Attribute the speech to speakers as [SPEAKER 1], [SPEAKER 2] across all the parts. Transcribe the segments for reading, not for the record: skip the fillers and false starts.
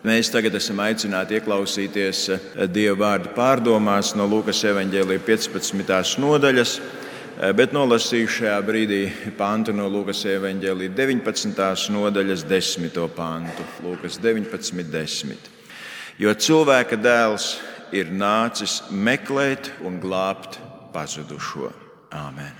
[SPEAKER 1] Mēs tagad esam aicināti ieklausīties Dieva vārda pārdomās no Lūkas evaņģēlija 15. nodaļas, bet nolasīju šajā brīdī pantu no Lūkas evaņģēlija 19. nodaļas 10. pantu. Lūkas 19:10. Jo cilvēka dēls ir nācis meklēt un glābt pazudušo. Āmen.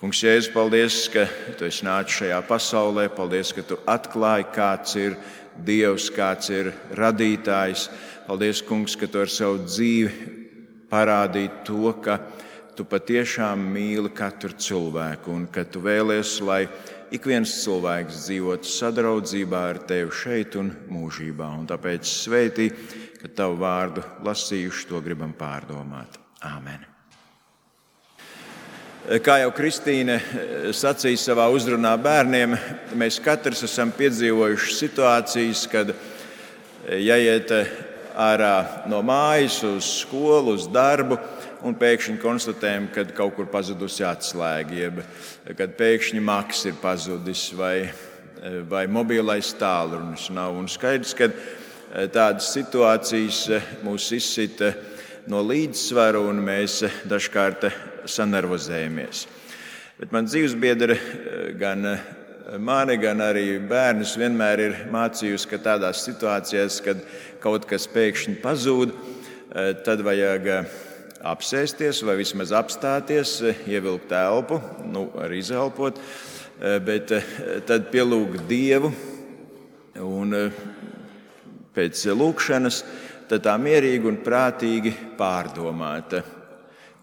[SPEAKER 1] Kungs, Jēzus, paldies, ka Tu esi nācis šajā pasaulē. Paldies, ka Tu atklāji, kāds ir Dievs, kāds ir radītājs. Paldies, Kungs, ka Tu ar savu dzīvi parādīji to, ka Tu patiešām mīli katru cilvēku un ka Tu vēlies, lai ik viens cilvēks dzīvotu sadraudzībā ar Tevi šeit un mūžībā. Un tāpēc svētī, ka Tavu vārdu lasījuši, to gribam pārdomāt. Āmen. Kā jau Kristīne sacīja savā uzrunā bērniem, mēs katrs esam piedzīvojuši situācijas, kad jāiet ārā no mājas uz skolu, uz darbu, un pēkšņi konstatējam, ka kaut kur pazudusi atslēga, jeb kad pēkšņi maks ir pazudis vai mobilais tālrunis nav. Un skaidrs, ka tādas situācijas mūs izsita no līdzsvaru, un mēs dažkārt sanervozējamies. Bet man dzīvesbiedre, gan mani, gan arī bērnus vienmēr ir mācījusi, ka tādās situācijās, kad kaut kas pēkšņi pazūd, tad vajag apsēsties vai vismaz apstāties, ievilkt elpu, arī izelpot, bet tad pielūgt Dievu un pēc lūkšanas tad tā mierīgi un prātīgi pārdomāt,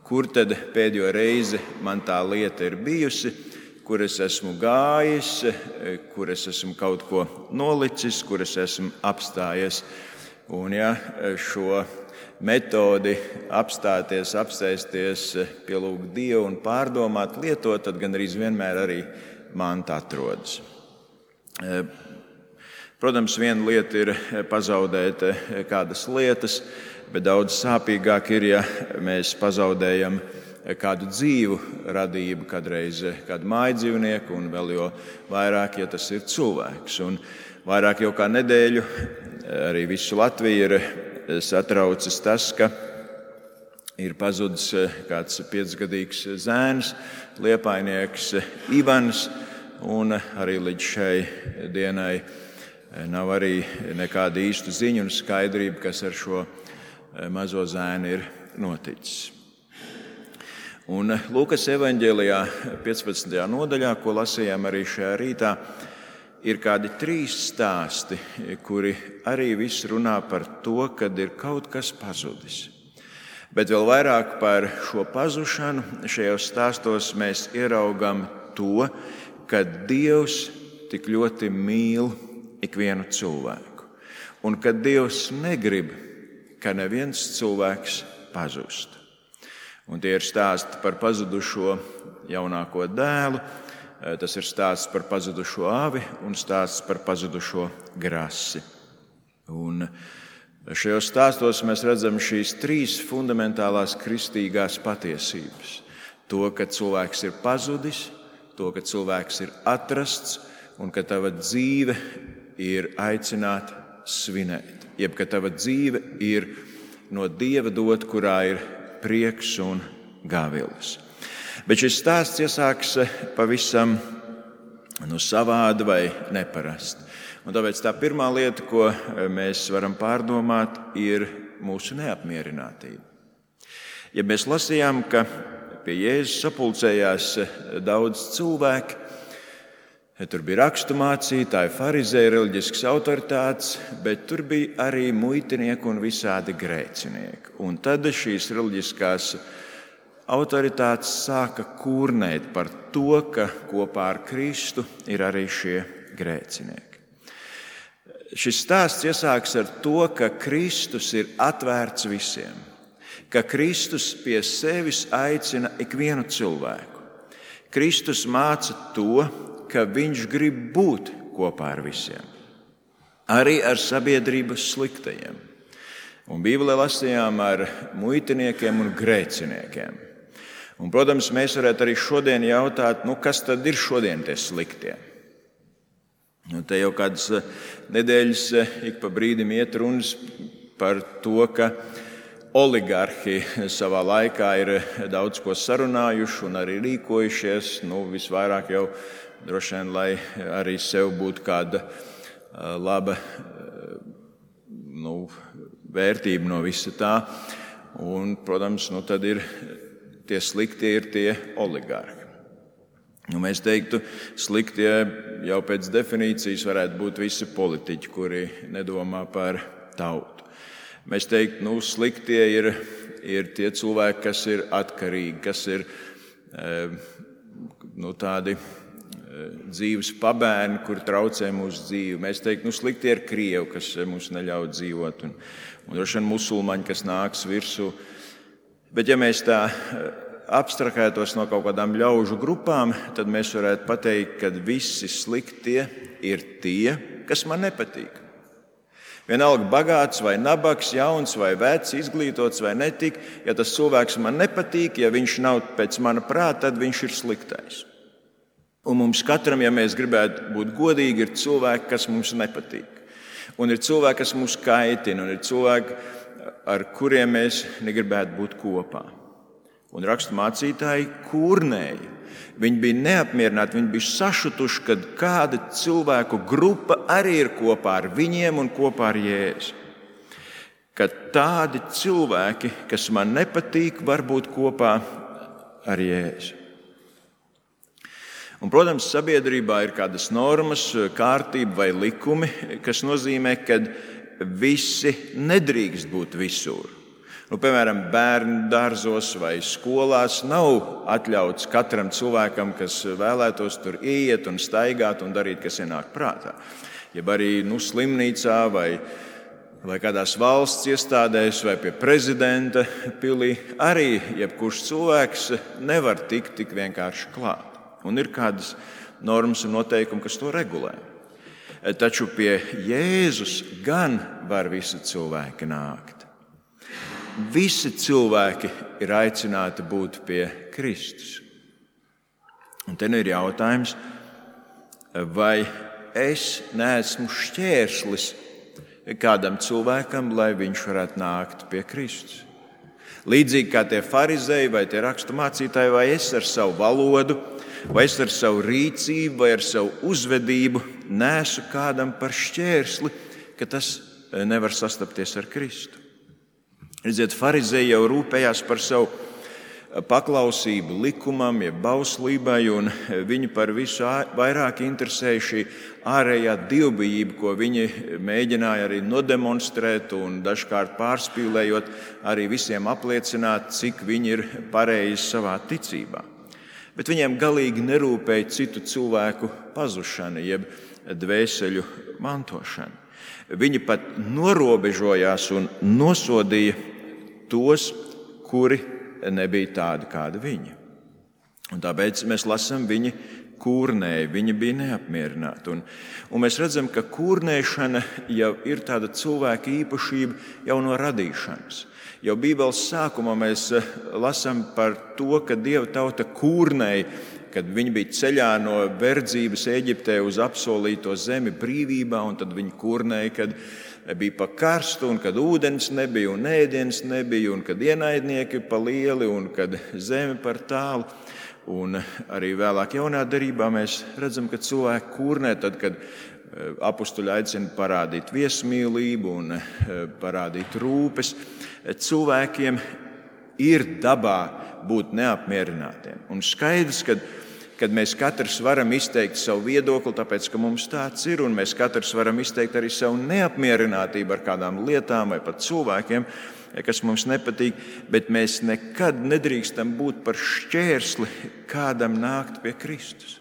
[SPEAKER 1] kur tad pēdējo reizi man tā lieta ir bijusi, kur es esmu gājis, kur es esmu kaut ko nolicis, kur es esmu apstājies. Un ja šo metodi apstāties, apsēsties, pielūgt Dievu un pārdomāt, lietot, tad gandrīz vienmēr arī manta atrodas. Protams, viena lieta ir pazaudēt kādas lietas, bet daudz sāpīgāk ir, ja mēs pazaudējam kādu dzīvu radību, kādreiz kādu mājdzīvnieku, un vēl jo vairāk, ja tas ir cilvēks. Un vairāk jau kā nedēļu arī visu Latviju ir satraucis tas, ka ir pazudis kāds 5-gadīgs zēns, liepainieks Ivans, un arī līdz šai dienai nav arī nekāda īsta ziņa un skaidrība, kas ar šo mazo zēnu ir noticis. Un Lūkas evaņģēlijā 15. nodaļā, ko lasījām arī šajā rītā, ir kādi 3 stāsti, kuri arī viss runā par to, kad ir kaut kas pazudis. Bet vēl vairāk par šo pazušanu šajos stāstos mēs ieraugam to, ka Dievs tik ļoti mīl ikvienu cilvēku. Un ka Dievs negrib, ka neviens cilvēks pazust. Un tie ir stāsti par pazudušo jaunāko dēlu, tas ir stāsts par pazudušo avi un stāsts par pazudušo grasi. Un šajos stāstos mēs redzam šīs 3 fundamentālās kristīgās patiesības. To, ka cilvēks ir pazudis, to, ka cilvēks ir atrasts un ka tava dzīve ir aicināta svinēt. Jeb, ka tava dzīve ir no Dieva dot, kurā ir prieks un gavilis. Bet šis stāsts iesāks pavisam savādi vai neparasti. Un tāpēc tā pirmā lieta, ko mēs varam pārdomāt, ir mūsu neapmierinātība. Ja mēs lasījām, ka pie Jēzus sapulcējās daudz cilvēku, tur bija raksturmācītāji, farizēji, reliģiskas autoritātes, bet tur bija arī muitinieki un visādi grēcinieki. Un tad šīs reliģiskās autoritātes sāka kurnēt par to, ka kopā ar Kristu ir arī šie grēcinieki. Šis stāsts iesāks ar to, ka Kristus ir atvērts visiem, ka Kristus pie sevis aicina ikvienu cilvēku. Kristus māca to, ka viņš grib būt kopā ar visiem, arī ar sabiedrības sliktajiem. Un Bībelē lasījām ar muitiniekiem un grēciniekiem. Un, protams, mēs varētu arī šodien jautāt, kas tad ir šodien tie sliktie? Un te jau kādas nedēļas ik pa brīdim iet runas par to, ka oligarhi savā laikā ir daudz ko sarunājuši un arī rīkojušies. Visvairāk jau droši vien, lai arī sev būtu kāda laba vērtība no visa tā. Un, protams, tad ir tie sliktie ir tie oligarhi. Mēs teiktu, sliktie jau pēc definīcijas varētu būt visi politiķi, kuri nedomā par tautu. Mēs teiktu, sliktie ir tie cilvēki, kas ir atkarīgi, kas ir tādi dzīves pabērni, kuri traucē mūsu dzīvi. Mēs teiktu, sliktie ir krievi, kas mums neļauj dzīvot, un droši vien musulmaņi, kas nāks virsū. Bet ja mēs tā abstrahētos no kaut kādām ļaužu grupām, tad mēs varētu pateikt, ka visi sliktie ir tie, kas man nepatīk. Vienalga bagāts vai nabaks, jauns vai vecs, izglītots vai netik, ja tas cilvēks man nepatīk, ja viņš nav pēc mana prāta, tad viņš ir sliktais. Un mums katram, ja mēs gribētu būt godīgi, ir cilvēki, kas mums nepatīk. Un ir cilvēki, kas mūs kaitina, un ir cilvēki, ar kuriem mēs negribētu būt kopā. Un rakstu mācītāji kurnēja. Viņi bija neapmierināti, viņi bija sašutuši, kad kāda cilvēku grupa arī ir kopā ar viņiem un kopā ar Jēzu. Kad tādi cilvēki, kas man nepatīk, var būt kopā ar Jēzu. Un, protams, sabiedrībā ir kādas normas, kārtība vai likumi, kas nozīmē, ka visi nedrīkst būt visur. Piemēram, bērnu dārzos vai skolās nav atļauts katram cilvēkam, kas vēlētos tur iet un staigāt un darīt, kas ienāk prātā. Jeb arī slimnīcā vai kādās valsts iestādēs vai pie prezidenta pilī arī jebkurš cilvēks nevar tikt tik vienkārši klāt. Un ir kādas normas un noteikumi, kas to regulē. Taču pie Jēzus gan var visi cilvēki nākt. Visi cilvēki ir aicināti būt pie Kristus. Un te ir jautājums, vai es neesmu šķērslis kādam cilvēkam, lai viņš varētu nākt pie Kristus. Līdzīgi kā tie farizēji vai tie rakstu mācītāji, vai es ar savu valodu, vai es ar savu rīcību, vai ar savu uzvedību nesu kādam par šķērsli, ka tas nevar sastapties ar Kristu. Redziet, farizēji jau rūpējās par savu paklausību likumam, jeb bauslībai, un viņi par visu vairāk interesēja šī ārējā dievbijība, ko viņi mēģināja arī nodemonstrēt un dažkārt pārspīlējot, arī visiem apliecināt, cik viņi ir pareizi savā ticībā. Bet viņiem galīgi nerūpēja citu cilvēku pazušana, jeb dvēseļu mantošana. Viņi pat norobežojās un nosodīja tos, kuri nebija tādi, kādi viņi. Un tāpēc mēs lasām, viņi kurnēja, viņi bija neapmierināti. Un mēs redzam, ka kurnēšana jau ir tāda cilvēka īpašība jau no radīšanas. Jau Bībeles sākumā mēs lasām par to, ka Dieva tauta kurnēja, kad viņi bija ceļā no verdzības Ēģiptē uz apsolīto zemi brīvībā, un tad viņi kurnēja, kad bija pa karstu, un kad ūdens nebija, un ēdiens nebija, un kad ienaidnieki pa lieli, un kad zeme par tālu. Un arī vēlāk jaunā derībā mēs redzam, ka cilvēki kurnē tad, kad apustuļi aicina parādīt viesmīlību un parādīt rūpes. Cilvēkiem ir dabā būt neapmierinātiem. Un skaidrs, kad mēs katrs varam izteikt savu viedokli, tāpēc, ka mums tāds ir, un mēs katrs varam izteikt arī savu neapmierinātību ar kādām lietām vai pat cilvēkiem, kas mums nepatīk, bet mēs nekad nedrīkstam būt par šķērsli kādam nākt pie Kristus.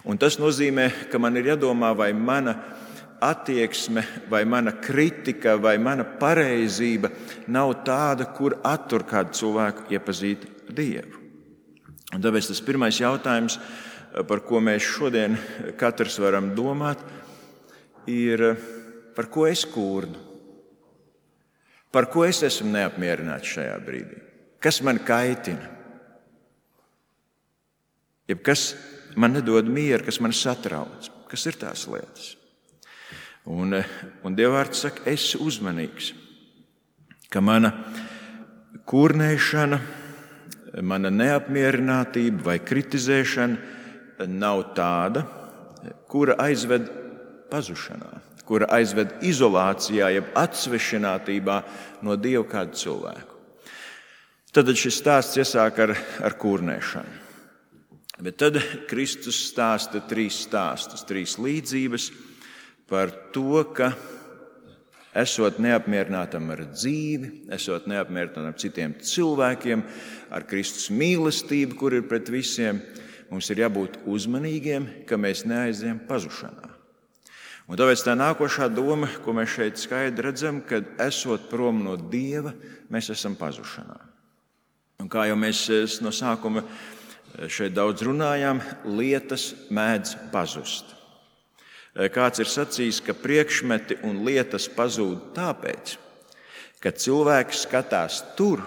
[SPEAKER 1] Un tas nozīmē, ka man ir jādomā, vai mana attieksme, vai mana kritika, vai mana pareizība nav tāda, kur attur kādu cilvēku iepazīt Dievu. Un tāpēc tas pirmais jautājums, par ko mēs šodien katrs varam domāt, ir, par ko es kurnu? Par ko es esmu neapmierināts šajā brīdī? Kas man kaitina? Jeb kas man nedod mieru, kas man satrauc? kas ir tās lietas. Un Dieva vārds saka, esi uzmanīgs, ka mana kurnēšana, mana neapmierinātība vai kritizēšana nav tāda, kura aizved pazušanā, kura aizved izolācijā, jeb atsvešinātībā no Dieva kādu cilvēku. Tad šis stāsts iesāk ar kurnēšanu. Bet tad Kristus stāsta 3 stāstus, 3 līdzības par to, ka esot neapmierinātam ar dzīvi, esot neapmierinātam ar citiem cilvēkiem, ar Kristus mīlestību, kur ir pret visiem, mums ir jābūt uzmanīgiem, ka mēs neaizejam pazušanā. Un tāpēc tā nākošā doma, ko mēs šeit skaidri redzam, kad esot prom no Dieva, mēs esam pazušanā. Un kā jau mēs no sākuma šeit daudz runājām, lietas mēdz pazust. Kāds ir sacījis, ka priekšmeti un lietas pazūd tāpēc, ka cilvēks skatās tur,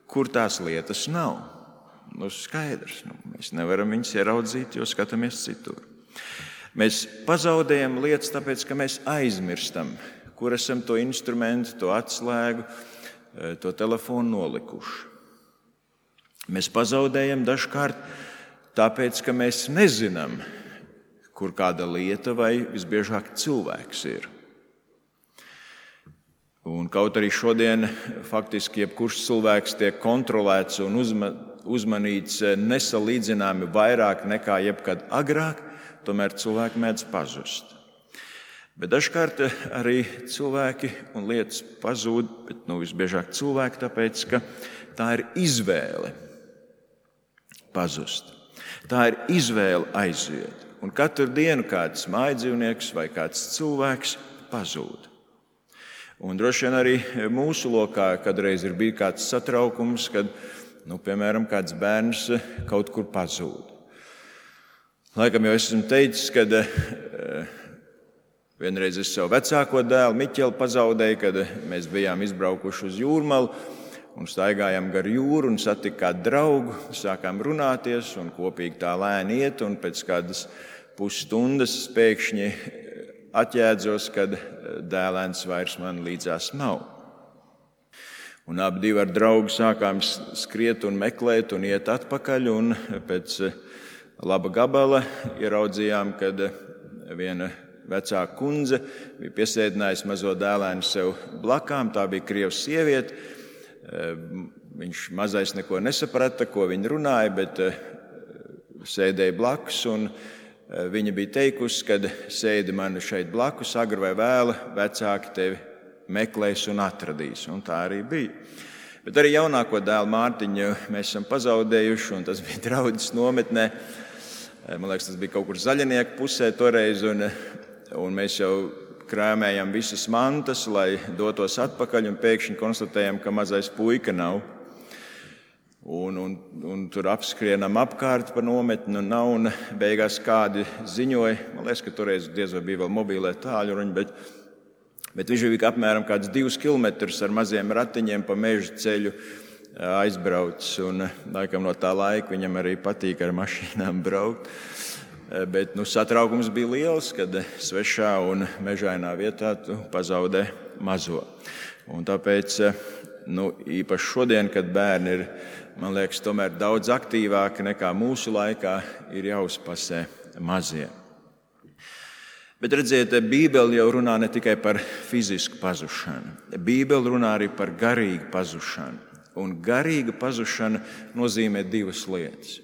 [SPEAKER 1] kur tās lietas nav. Skaidrs, mēs nevaram viņus ieraudzīt, jo skatāmies citur. Mēs pazaudējam lietas tāpēc, ka mēs aizmirstam, kur esam to instrumentu, to atslēgu, to telefonu nolikuši. Mēs pazaudējam dažkārt tāpēc, ka mēs nezinām, kur kāda lieta vai visbiežāk cilvēks ir. Un kaut arī šodien faktiski jebkurš cilvēks tiek kontrolēts un uzmanīts nesalīdzināmi vairāk nekā jebkad agrāk, tomēr cilvēki mēdz pazust. Bet dažkārt arī cilvēki un lietas pazūd, bet visbiežāk cilvēki, tāpēc, ka tā ir izvēle pazust. Tā ir izvēle aiziet. Un katru dienu kāds mājdzīvnieks vai kāds cilvēks pazūd. Un droši vien arī mūsu lokā kādreiz ir bijis kāds satraukums, kad, piemēram, kāds bērns kaut kur pazūd. Laikam jau esmu teicis, kad vienreiz es savu vecāko dēlu Miķeli pazaudēju, kad mēs bijām izbraukuši uz Jūrmalu un staigājām gar jūru un satiku kādu draugu, sākām runāties un kopīgi tā lēni iet, un pēc kādas pusstundas pēkšņi atjēdzos, kad dēlēns vairs man līdzās nav. Un abi ar draugu sākām skriet un meklēt un iet atpakaļ, un pēc laba gabala ieraudzījām, kad viena vecāka kundze bija piesēdinājusi mazo dēlēnu sev blakām, tā bija krieva sieviete. Viņš mazais neko nesaprata, ko viņa runāja, bet sēdēja blakus, un viņa bija teikusi, kad sēdi man šeit blakus, agri vai vēlu, vecāki tevi meklēs un atradīs. Un tā arī bija. Bet arī jaunāko dēlu Mārtiņu mēs esam pazaudējuši, un tas bija draudzes nometnē. Man liekas, tas bija kaut kur Zaļnieku pusē toreiz, un mēs jau krāmējam visas mantas, lai dotos atpakaļ, un pēkšņi konstatējam, ka mazais puika nav. Un tur apskrienam apkārt pa nometni, un nav, un beigās kādi ziņoja, man liekas, ka toreiz diez vai bija vēl mobīlē tāļruņi, bet viņš bija apmēram kāds 2 kilometrus ar maziem ratiņiem pa meža ceļu aizbraucis, un laikam no tā laika viņam arī patīk ar mašīnām braukt. Bet satraukums bija liels, kad svešā un mežainā vietā tu pazaudē mazo. Un tāpēc īpaši šodien, kad bērni ir, man liekas, tomēr daudz aktīvāki nekā mūsu laikā, ir jāuzpasē mazie. Bet redziet, Bībele jau runā ne tikai par fizisku pazušanu. Bībele runā arī par garīgu pazušanu. Un garīga pazušana nozīmē 2 lietas.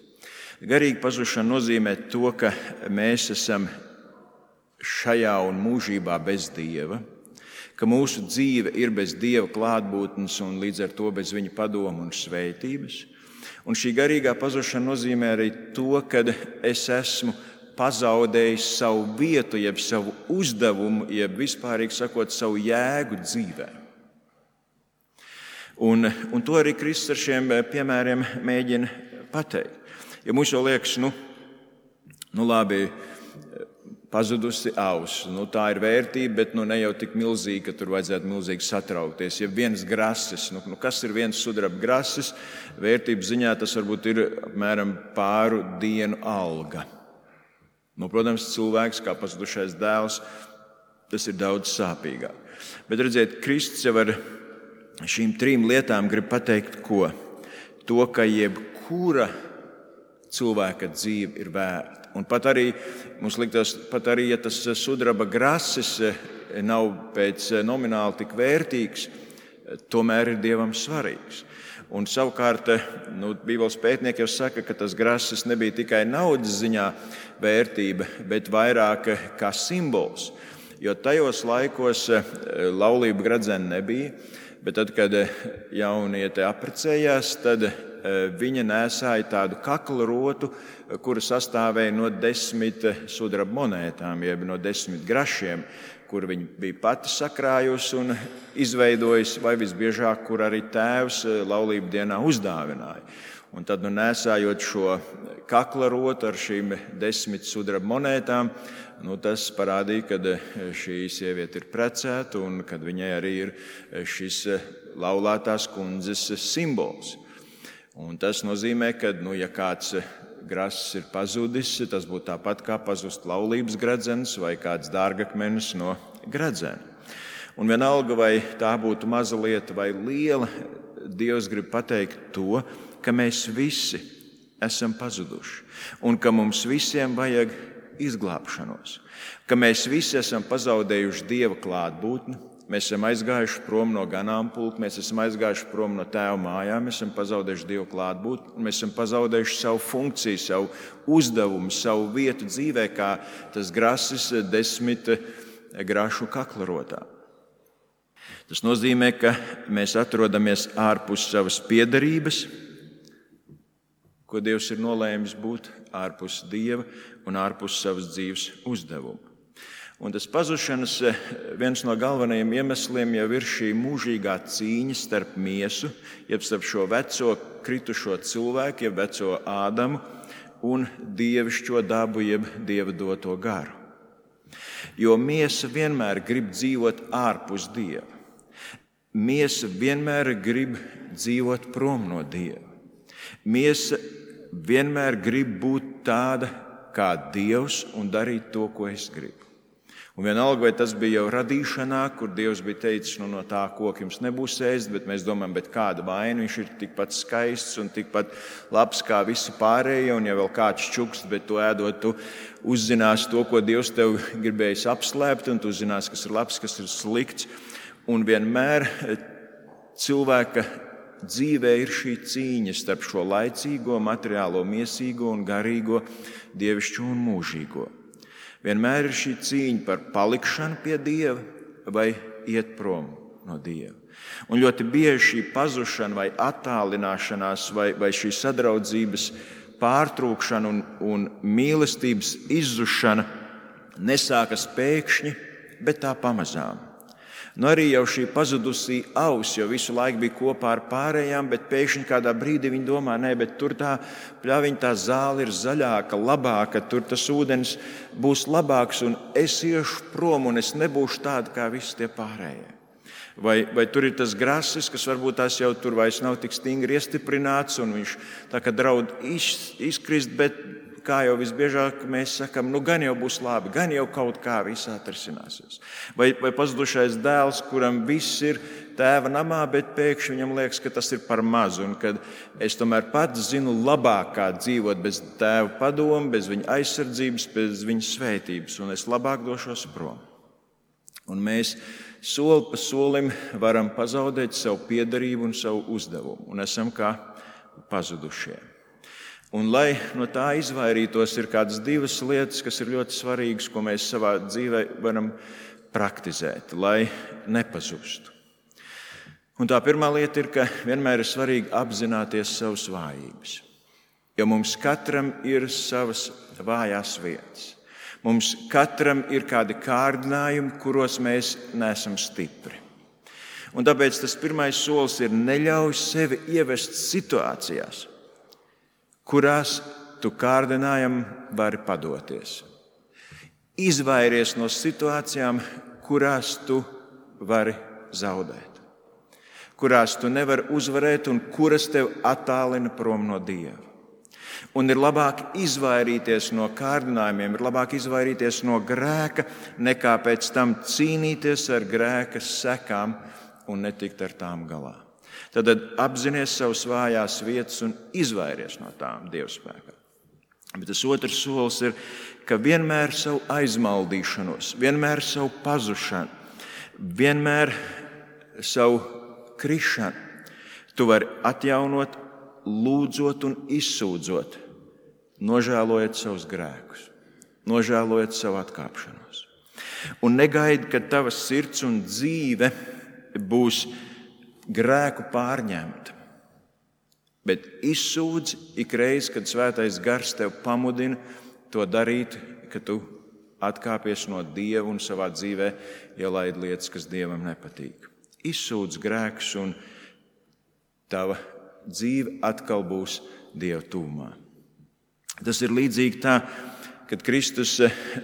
[SPEAKER 1] Garīga pazušana nozīmē to, ka mēs esam šajā un mūžībā bez Dieva, ka mūsu dzīve ir bez Dieva klātbūtnes un līdz ar to bez Viņa padomu un svētības. Un šī garīgā pazušana nozīmē arī to, ka es esmu pazaudējis savu vietu, jeb savu uzdevumu, jeb vispārīgi sakot, savu jēgu dzīvē. Un to arī Kristus ar šiem piemēriem mēģina pateikt. Ja mums jau liekas, labi, pazudusi auss, tā ir vērtība, bet ne jau tik milzīga, ka tur vajadzētu milzīgi satraukties. Ja viens grasis, kas ir viens sudraba grasis, vērtības ziņā tas varbūt ir apmēram pāru dienu alga. Protams, cilvēks kā pazudušais dēls, tas ir daudz sāpīgāk. Bet redziet, Kristus jau ar šīm 3 lietām grib pateikt, ko? To, ka jebkura cilvēka dzīve ir vērta. Un pat arī, mums liktos, ja tas sudraba grasis nav pēc nomināli tik vērtīgs, tomēr ir Dievam svarīgs. Un savukārt, Bībeles pētnieki jau saka, ka tas grasis nebija tikai naudas ziņā vērtība, bet vairāk kā simbols. Jo tajos laikos laulību gredzena nebija, bet tad, kad jauniete apprecējās, tad viņa nēsāja tādu kakla rotu, kura sastāvēja no 10 sudraba monētām, jeb no 10 grašiem, kur viņa bija pati sakrājusi un izveidojusi, vai visbiežāk, kur arī tēvs laulību dienā uzdāvināja. Un tad, nēsājot šo kakla rotu ar šīm 10 sudraba monētām, tas parādīja, ka šī sieviete ir precēta un kad viņai arī ir šis laulātās kundzes simbols. Un tas nozīmē, ka, ja kāds grasis ir pazudis, tas būtu tāpat kā pazust laulības gredzens vai kāds dārgakmenis no gredzena. Un vienalga, vai tā būtu maza lieta vai liela, Dievs grib pateikt to, ka mēs visi esam pazuduši un ka mums visiem vajag izglābšanos, ka mēs visi esam pazaudējuši Dieva klātbūtni. Mēs esam aizgājuši prom no ganāmpulka, mēs esam aizgājuši prom no tēva mājām, mēs esam pazaudējuši Dievu klātbūtni, un mēs esam pazaudējuši savu funkciju, savu uzdevumu, savu vietu dzīvē, kā tas grasis 10 grašu kaklarotā. Tas nozīmē, ka mēs atrodamies ārpus savas piederības, ko Dievs ir nolēmis būt, ārpus Dieva un ārpus savas dzīves uzdevuma. Un tas pazušanas viens no galvenajiem iemesliem jau ir šī mūžīgā cīņa starp miesu, jeb starp šo veco kritušo cilvēku, jeb veco Ādamu, un dievišķo dabu, jeb Dieva doto garu. Jo miesa vienmēr grib dzīvot ārpus Dieva. Miesa vienmēr grib dzīvot prom no Dieva. Miesa vienmēr grib būt tāda kā Dievs un darīt to, ko es gribu. Un vienalga, vai tas bija jau radīšanā, kur Dievs bija teicis, no tā koka jums nebūs ēst, bet mēs domājam, bet kāda vaina, viņš ir tikpat skaists un tikpat labs kā visi pārējie, un ja vēl kāds čukst, bet to ēdot, tu uzzināsi to, ko Dievs tev gribējis apslēpt, un tu uzzināsi, kas ir labs, kas ir slikts. Un vienmēr cilvēka dzīvē ir šī cīņa starp šo laicīgo, materiālo, miesīgo un garīgo, dievišķo un mūžīgo. Vienmēr ir šī cīņa par palikšanu pie Dieva vai iet prom no Dieva. Un ļoti bieži šī pazušana vai attālināšanās vai šī sadraudzības pārtrūkšana un mīlestības izzušana nesākas pēkšņi, bet tā pamazām. Arī jau šī pazudusī auss jau visu laiku bija kopā ar pārējām, bet pēkšņi kādā brīdī viņi domā, bet tur tā pļaviņa, tā zāle ir zaļāka, labāka, tur tas ūdens būs labāks un es iešu prom un es nebūšu tāda kā visi tie pārējie. Vai tur ir tas grasis, kas varbūt tās jau tur vairs nav tik stingri iestiprināts un viņš tā kā draud izkrist, bet kā jau visbiežāk mēs sakam, gan jau būs labi, gan jau kaut kā viss atrisināsies. Vai pazudušais dēls, kuram viss ir tēva namā, bet pēkšņi viņam liekas, ka tas ir par mazu un kad es tomēr pats zinu labāk, kā dzīvot bez tēva padoma, bez viņa aizsardzības, bez viņa svētības, un es labāk došos prom. Un mēs soli pa solim varam pazaudēt savu piederību un savu uzdevumu, un esam kā pazudušie. Un, lai no tā izvairītos, ir kādas 2 lietas, kas ir ļoti svarīgas, ko mēs savā dzīvē varam praktizēt, lai nepazustu. Un tā pirmā lieta ir, ka vienmēr ir svarīgi apzināties savas vājības. Jo mums katram ir savas vājās vietas. Mums katram ir kādi kārdinājumi, kuros mēs neesam stipri. Un tāpēc tas pirmais solis ir neļauj sevi ievest situācijās, kurās tu kārdinājumam vari padoties. Izvairies no situācijām, kurās tu vari zaudēt, kurās tu nevari uzvarēt un kuras tev attālina prom no Dieva. Un ir labāk izvairīties no kārdinājumiem, ir labāk izvairīties no grēka, nekā pēc tam cīnīties ar grēka sekām un netikt ar tām galā. Tad apzinies savas vājās vietas un izvairies no tām Dieva spēkā. Bet tas otrs solis ir, ka vienmēr savu aizmaldīšanos, vienmēr savu pazušanu, vienmēr savu krišanu tu vari atjaunot, lūdzot un izsūdzot, nožēlojot savus grēkus, nožēlojot savu atkāpšanos. Un negaidi, ka tava sirds un dzīve būs grēku pārņemta, bet izsūdz ikreiz, kad Svētais Gars tev pamudina to darīt, ka tu atkāpies no Dieva un savā dzīvē ielaid lietas, kas Dievam nepatīk. Izsūdz grēkus un tava dzīve atkal būs Dieva tuvumā. Tas ir līdzīgi tā, kad Kristus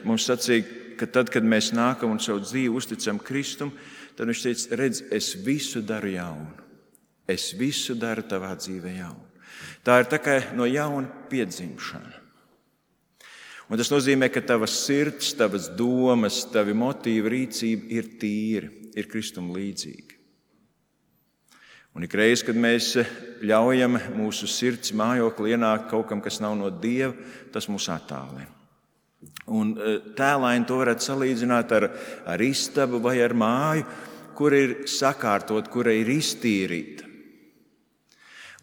[SPEAKER 1] mums sacīja, ka tad, kad mēs nākam un savu dzīvi uzticam Kristum, tad viņš teica, redz, es visu daru jaunu. Es visu daru tavā dzīvē jaunu. Tā ir tā kā no jauna piedzimšana. Un tas nozīmē, ka tavas sirds, tavas domas, tavi motīvi, rīcība ir tīri, ir Kristum līdzīgi. Un ikreiz, kad mēs ļaujam mūsu sirds mājokli ienākt kaut kam, kas nav no Dieva, tas mūs attālina. Un tēlaini to varētu salīdzināt ar istabu vai ar māju, kur ir sakārtot, kura ir iztīrīta.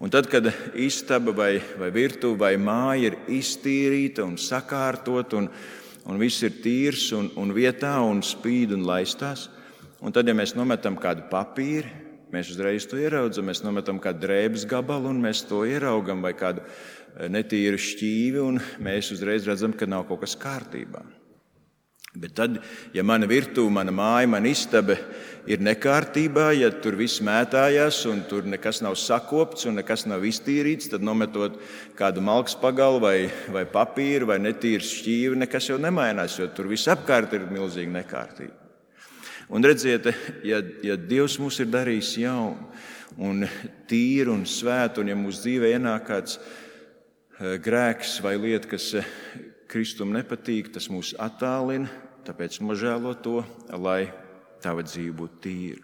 [SPEAKER 1] Un tad, kad istaba vai virtuve vai māja ir iztīrīta un sakārtot, un viss ir tīrs un vietā un spīd un laistās, un tad, ja mēs nometam kādu papīru, mēs uzreiz to ieraudzam, mēs nometam kādu drēbes gabalu un mēs to ieraugam vai kādu netīru šķīvi un mēs uzreiz redzam, ka nav kaut kas kārtībā. Bet tad, ja mana virtuve, mana māja, mana istaba ir nekārtībā, ja tur viss mētājās un tur nekas nav sakopts un nekas nav iztīrīts, tad nometot kādu malkas pagalu vai papīru vai netīru šķīvi, nekas jau nemainās, jo tur viss apkārt ir milzīgi nekārtība. Un redziet, ja Dievs mūs ir darījis jaunu un tīru un svētu, un ja mūsu dzīvē ienāk kāds grēks vai lieta, kas Kristum nepatīk, tas mūs attālina, tāpēc nožēlo to, lai tava dzīve būtu tīra.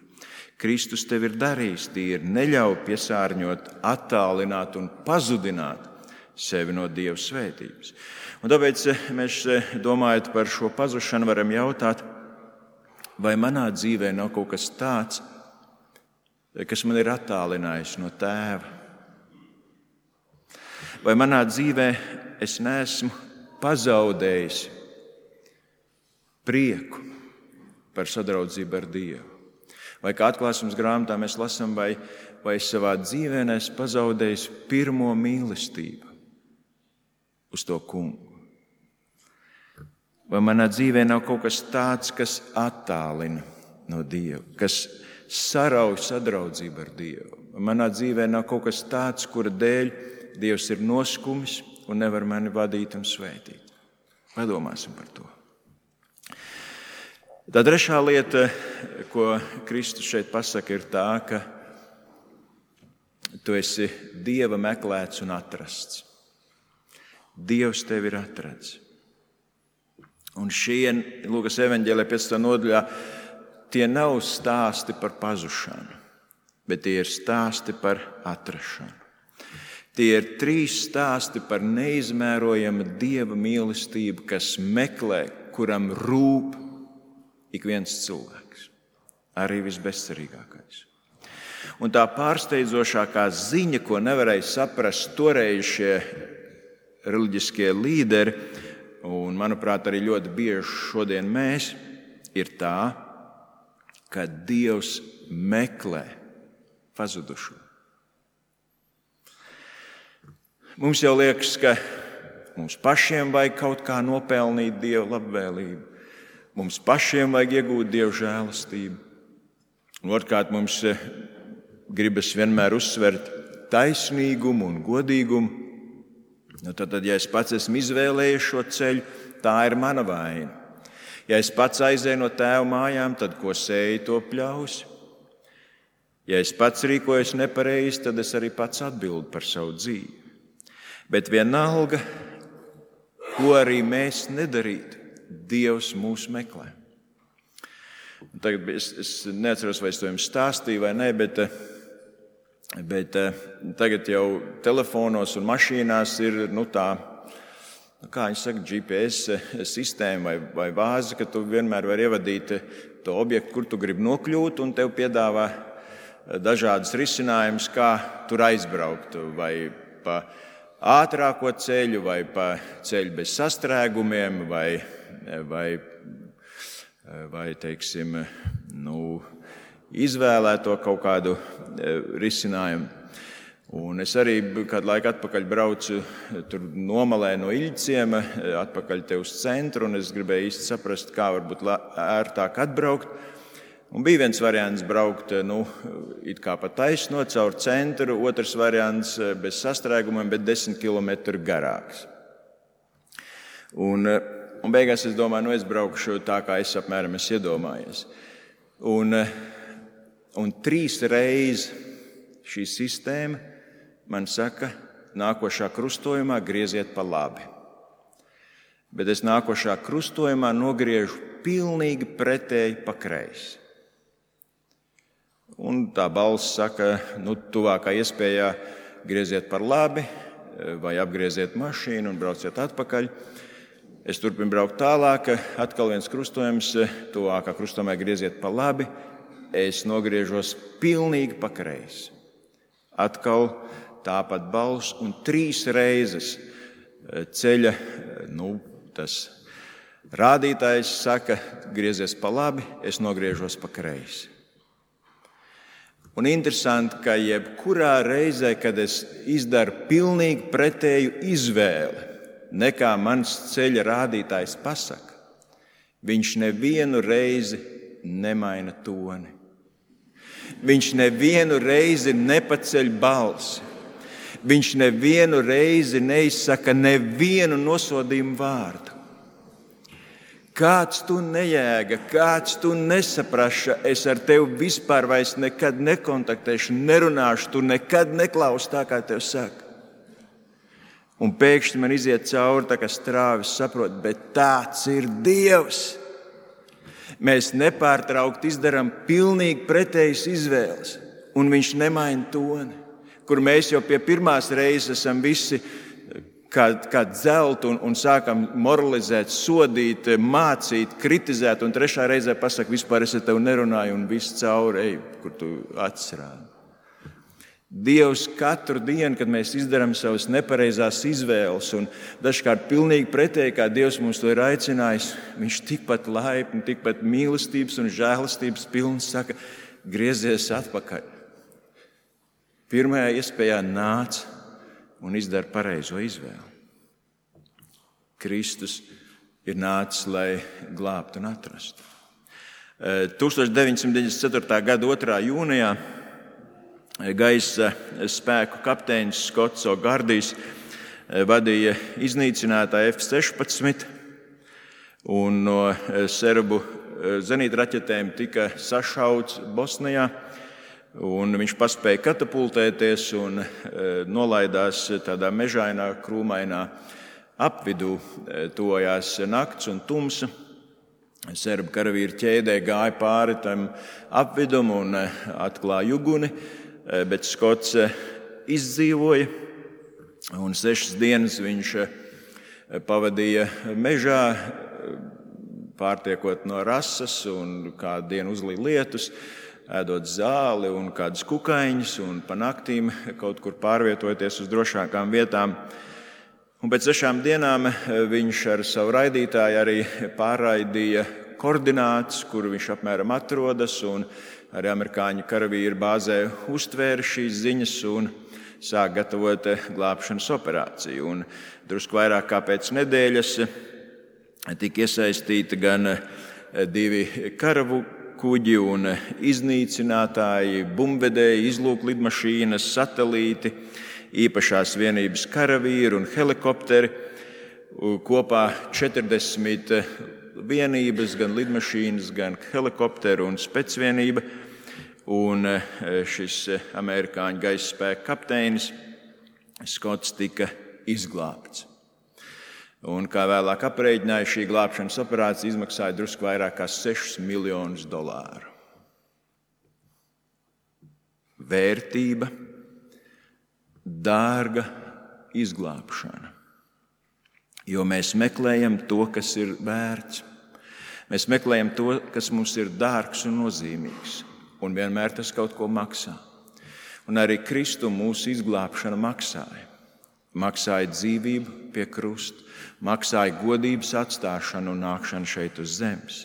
[SPEAKER 1] Kristus tev ir darījis tīri, neļauj piesārņot, attālināt un pazudināt sevi no Dieva svētības. Un tāpēc mēs, domājot par šo pazušanu, varam jautāt, vai manā dzīvē nav kaut kas tāds, kas man ir attālinājis no Tēva? Vai manā dzīvē es neesmu pazaudējis prieku par sadraudzību ar Dievu? Vai kā atklāsmes grāmatā mēs lasām, vai savā dzīvē neesmu pazaudējis pirmo mīlestību uz to Kungu? Vai manā dzīvē nav kaut kas tāds, kas attālina no Dieva, kas sarauj sadraudzību ar Dievu? Vai manā dzīvē nav kaut kas tāds, kura dēļ Dievs ir noskumis un nevar mani vadīt un svētīt? Padomāsim par to. Tā trešā lieta, ko Kristus šeit pasaka, ir tā, ka tu esi Dieva meklēts un atrasts. Dievs tevi ir atrads. Un šie Lūkas evaņģēlijā 15. nodaļā tie nav stāsti par pazušanu, bet tie ir stāsti par atrašanu. Tie ir 3 stāsti par neizmērojamu Dieva mīlestību, kas meklē, kuram rūp ik viens cilvēks, arī visbezcerīgākais. Un tā pārsteidzošākā ziņa, ko nevarēja saprast toreiz šie reliģiskie līderi, un, manuprāt, arī ļoti bieži šodien mēs, ir tā, ka Dievs meklē pazudušo. Mums jau liekas, ka mums pašiem vajag kaut kā nopelnīt Dieva labvēlību. Mums pašiem vajag iegūt Dieva žēlastību. Un otrkārt, mums gribas vienmēr uzsvert taisnīgumu un godīgumu. Tad, ja es pats esmu izvēlējies šo ceļu, tā ir mana vaina. Ja es pats aizēju no tēva mājām, tad ko sēju, to pļausi. Ja es pats rīkojos nepareizi, tad es arī pats atbildu par savu dzīvi. Bet vienalga, ko arī mēs nedarītu, Dievs mūs meklē. Tagad es neatceros, vai es to jums stāstīju vai nē, bet tagad jau telefonos un mašīnās ir tā, kā viņi saka, GPS sistēma vai vāze, ka tu vienmēr vari ievadīt to objektu, kur tu gribi nokļūt, un tev piedāvā dažādas risinājumus, kā tur aizbraukt, vai pa ātrāko ceļu, vai pa ceļu bez sastrēgumiem, vai teiksim, izvēlēto kaut kādu risinājumu. Un es arī kādu laiku atpakaļ braucu tur nomalē no Iļķciema, atpakaļ te uz centru, un es gribēju īsti saprast, kā varbūt ērtāk atbraukt. Un bija viens variants braukt it kā pa taisno caur centru, otrs variants bez sastrēgumiem, bet 10 km garāks. Un beigās es domāju, es braukšu tā, kā es apmēram esmu iedomājies. Un 3 reizes šī sistēma man saka, nākošā krustojumā grieziet pa labi. Bet es nākošā krustojumā nogriežu pilnīgi pretēji pa kreisi. Un tā balss saka, tuvākā iespējā grieziet par labi vai apgrieziet mašīnu un brauciet atpakaļ. Es turpinu braukt tālāk, atkal viens krustojums, tuvākā krustojumā grieziet pa labi, es nogriežos pilnīgi pa kreisi. Atkal tāpat balss, un 3 reizes ceļa tas rādītājs saka, griezies pa labi, es nogriežos pa kreisi. Un interesanti, ka jebkurā reizē, kad es izdaru pilnīgi pretēju izvēli, nekā mans ceļa rādītājs pasaka, viņš nevienu reizi nemaina toni. Viņš nevienu reizi nepaceļ balsi. Viņš nevienu reizi neizsaka nevienu nosodījumu vārdu. Kāds tu nejēga, kāds tu nesapraša, es ar tevi vispār vairs nekad nekontaktēšu, nerunāšu, tu nekad neklausi tā, kā tev saka. Un pēkšņi man iziet cauri tā kā strāvis, saprot, bet tāds ir Dievs. Mēs nepārtraukti izdarām pilnīgi pretējas izvēles, un viņš nemaina toni, kur mēs jau pie pirmās reizes esam visi kā dzelti un sākam moralizēt, sodīt, mācīt, kritizēt, un 3. reizē pasaka, vispār es ar tevi nerunāju, un viss cauri ej, kur tu atsrādi. Dievs katru dienu, kad mēs izdarām savas nepareizās izvēles, un dažkārt pilnīgi pretēji, kā Dievs mums to ir aicinājis, viņš tikpat laipni, tikpat mīlestības un žēlastības pilns saka, griezies atpakaļ. Pirmajā iespējā nāc un izdara pareizo izvēli. Kristus ir nācis, lai glābtu un atrastu. 1994. gada 2. jūnijā gaisa spēku kapteinis Skots O'Gardijs vadīja iznīcinātāju F-16 un no serbu zenītraķetēm tika sašauts Bosnijā. Un viņš paspēja katapultēties un nolaidās tādā mežainā, krūmainā apvidū. Tojās nakts un tumsa. Serbu karavīri ķēdē gāja pāri tam apvidum un atklāja uguni, bet Skots izdzīvoja. Un 6 dienas viņš pavadīja mežā, pārtiekot no rasas, un kādu dienu uzlīja lietus, ēdot zāli un kādus kukaiņus, un pa naktīm kaut kur pārvietojoties uz drošākām vietām. Un pēc 6 dienām viņš ar savu raidītāju arī pārraidīja koordinātus, kur viņš apmēram atrodas, un arī amerikāņu karavīri bāzē uztvēra šīs ziņas un sāk gatavot glābšanas operāciju. Un drusku vairāk kā pēc nedēļas tika iesaistīti gan 2 karavu kuģi un iznīcinātāji, bumbvedēji, izlūklidmašīnas, satelīti, īpašās vienības karavīri un helikopteri. Kopā 40 vienības, gan lidmašīnas, gan helikopteru un specvienība. Un šis amerikāņu gaisa spēka kapteinis Skots tika izglābts. Un, kā vēlāk aprēķināja, šī glābšanas operācija izmaksāja drusku vairāk kā $6 miljonus. Vērtība, dārga izglābšana. Jo mēs meklējam to, kas ir vērts. Mēs meklējam to, kas mums ir dārgs un nozīmīgs. Un vienmēr tas kaut ko maksā. Un arī Kristu mūsu izglābšana maksāja. Maksāja dzīvību pie krusta, maksāja godības atstāšanu un nākšanu šeit uz zemes.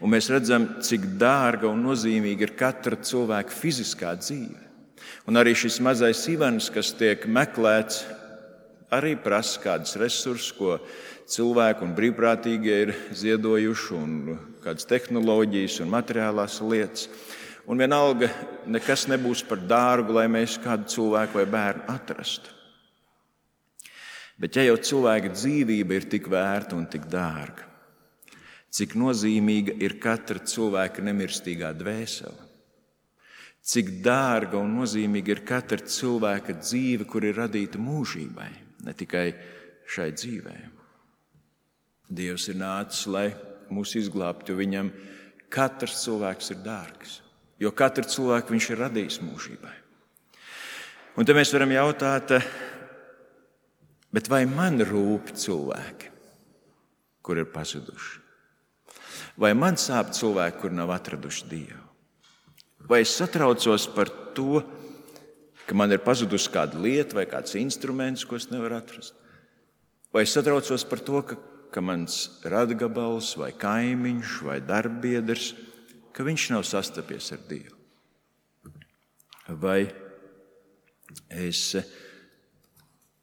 [SPEAKER 1] Un mēs redzam, cik dārga un nozīmīga ir katra cilvēka fiziskā dzīve. Un arī šis mazais Ivans, kas tiek meklēts, arī prasa kādus resursus, ko cilvēki un brīvprātīgie ir ziedojuši, un kādas tehnoloģijas un materiālās lietas. Un vienalga nekas nebūs par dārgu, lai mēs kādu cilvēku vai bērnu atrastu. Bet ja jau cilvēka dzīvība ir tik vērta un tik dārga, cik nozīmīga ir katra cilvēka nemirstīgā dvēsele, cik dārga un nozīmīga ir katra cilvēka dzīve, kur ir radīta mūžībai, ne tikai šai dzīvē. Dievs ir nācis, lai mūs izglābtu, jo viņam katrs cilvēks ir dārgs. Jo katru cilvēku viņš ir radījis mūžībai. Un te mēs varam jautāt, bet vai man rūp cilvēki, kur ir pazuduši? Vai man sāp cilvēki, kur nav atraduši Dievu? Vai es satraucos par to, ka man ir pazudusi kāda lieta vai kāds instruments, ko es nevaru atrast? Vai es satraucos par to, ka mans radgabals vai kaimiņš vai darbbiedrs, ka viņš nav sastapies ar Dievu? Vai es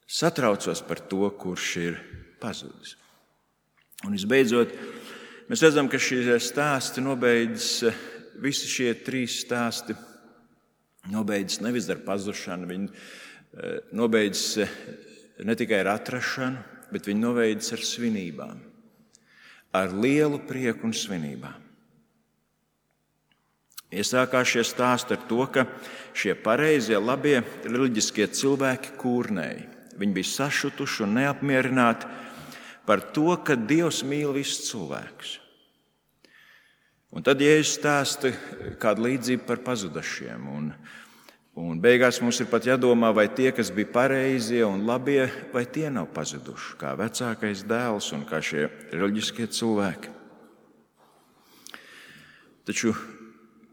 [SPEAKER 1] satraucos par to, kurš ir pazudis? Un visbeidzot, mēs redzam, ka šie stāsti nobeidzas, visi šie 3 stāsti nobeidzas nevis ar pazušanu, viņi nobeidzas ne tikai ar atrašanu, bet viņi nobeidzas ar svinībām, ar lielu prieku un svinībām. Iesākās šie stāsti ar to, ka šie pareizie, labie, reliģiskie cilvēki kūrnēja. Viņi bija sašutuši un neapmierināti par to, ka Dievs mīl visus cilvēkus. Un tad Jēzus stāsta kādu līdzību par pazudušiem. Un beigās mums ir pat jādomā, vai tie, kas bija pareizie un labie, vai tie nav pazuduši, kā vecākais dēls un kā šie reliģiskie cilvēki. Taču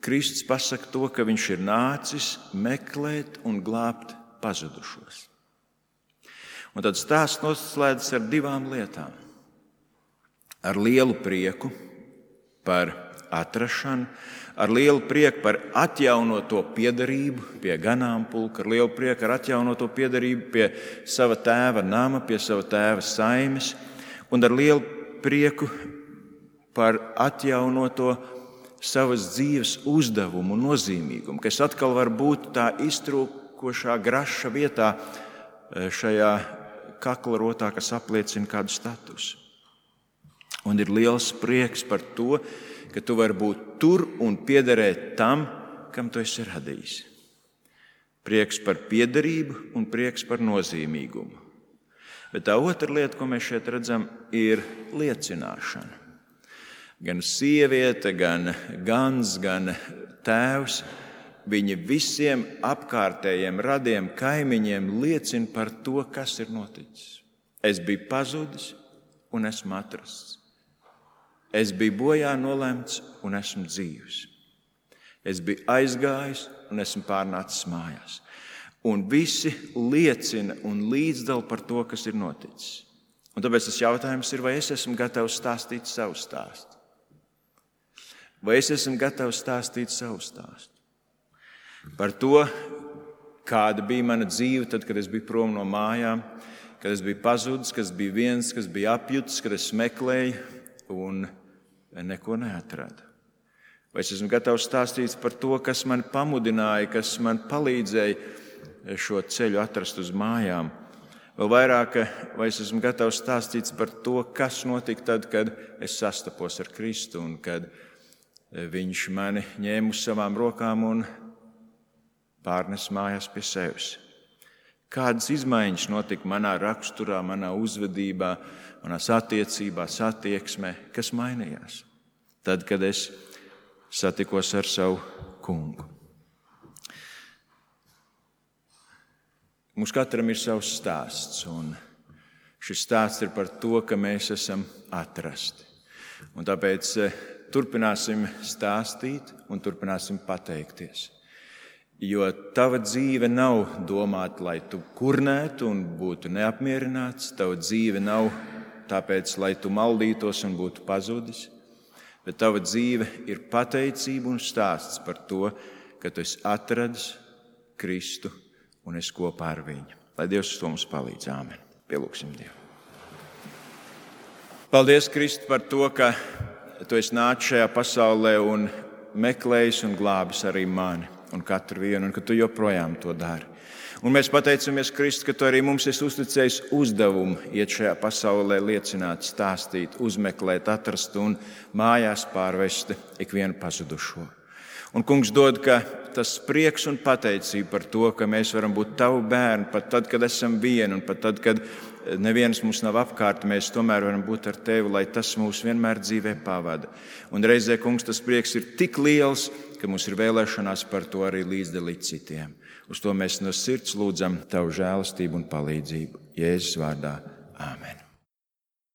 [SPEAKER 1] Kristus pasaka to, ka viņš ir nācis meklēt un glābt pazudušos. Un tad stāsts noslēdzas ar 2 lietām. Ar lielu prieku par atrašanu, ar lielu prieku par atjaunoto piederību pie ganāmpulka, ar lielu prieku ar atjaunoto piederību pie sava tēva nama, pie sava tēva saimes, un ar lielu prieku par atjaunoto savas dzīves uzdevumu un nozīmīgumu, kas atkal var būt tā iztrūkošā graša vietā šajā kakla rotā, kas apliecina kādu statusu. Un ir liels prieks par to, ka tu vari būt tur un piederēt tam, kam tu esi radījis. Prieks par piederību un prieks par nozīmīgumu. Bet tā otra lieta, ko mēs šeit redzam, ir liecināšana. Gan sieviete, gan gans, gan tēvs, viņi visiem apkārtējiem radiem kaimiņiem liecina par to, kas ir noticis. Es biju pazudis un esmu atrasts. Es biju bojā nolemts un esmu dzīvs. Es biju aizgājis un esmu pārnācis mājās. Un visi liecina un līdzdala par to, kas ir noticis. Un tāpēc tas jautājums ir, vai es esmu gatavs stāstīt savu stāstu? Vai es esmu gatavs stāstīt savu stāstu? Par to, kāda bija mana dzīve tad, kad es biju prom no mājām, kad es biju pazudis, kad es biju viens, kas bija apjutis, kad es meklēju un neko neatradu. Vai es esmu gatavs stāstīt par to, kas man pamudināja, kas man palīdzēja šo ceļu atrast uz mājām? Vēl vairāk, vai es esmu gatavs stāstīt par to, kas notika tad, kad es sastapos ar Kristu un kad Viņš mani ņēma uz savām rokām un pārnes mājās pie sevis. Kādas izmaiņas notika manā raksturā, manā uzvedībā, manās attiecībās, attieksmē, kas mainījās tad, kad es satikos ar savu kungu. Mums katram ir savs stāsts, un šis stāsts ir par to, ka mēs esam atrasti. Un tāpēc turpināsim stāstīt un turpināsim pateikties. Jo tava dzīve nav domāta, lai tu kurnētu un būtu neapmierināts. Tava dzīve nav tāpēc, lai tu maldītos un būtu pazudis. Bet tava dzīve ir pateicība un stāsts par to, ka tu esi atradis Kristu un esi kopā ar viņu. Lai Dievs uz to mums palīdz. Āmen. Pielūgsim Dievu. Paldies, Kristu, par to, ka tu esi nācis šajā pasaulē un meklējis un glābis arī mani un katru vienu, un ka tu joprojām to dari. Un mēs pateicamies, Kristu, ka tu arī mums esi uzticējis uzdevumu iet šajā pasaulē, liecināt, stāstīt, uzmeklēt, atrast un mājās pārvest ikvienu pazudušo. Un Kungs dod, ka tas prieks un pateicība par to, ka mēs varam būt tavu bērni, pat tad, kad esam vieni, un pat tad, kad neviens mums nav apkārt, mēs tomēr varam būt ar tevi, lai tas mūs vienmēr dzīvē pavada. Un reizē, Kungs, tas prieks ir tik liels, ka mums ir vēlēšanās par to arī līdzdalīt citiem. Uz to mēs no sirds lūdzam tavu žēlastību un palīdzību. Jēzus vārdā. Āmen.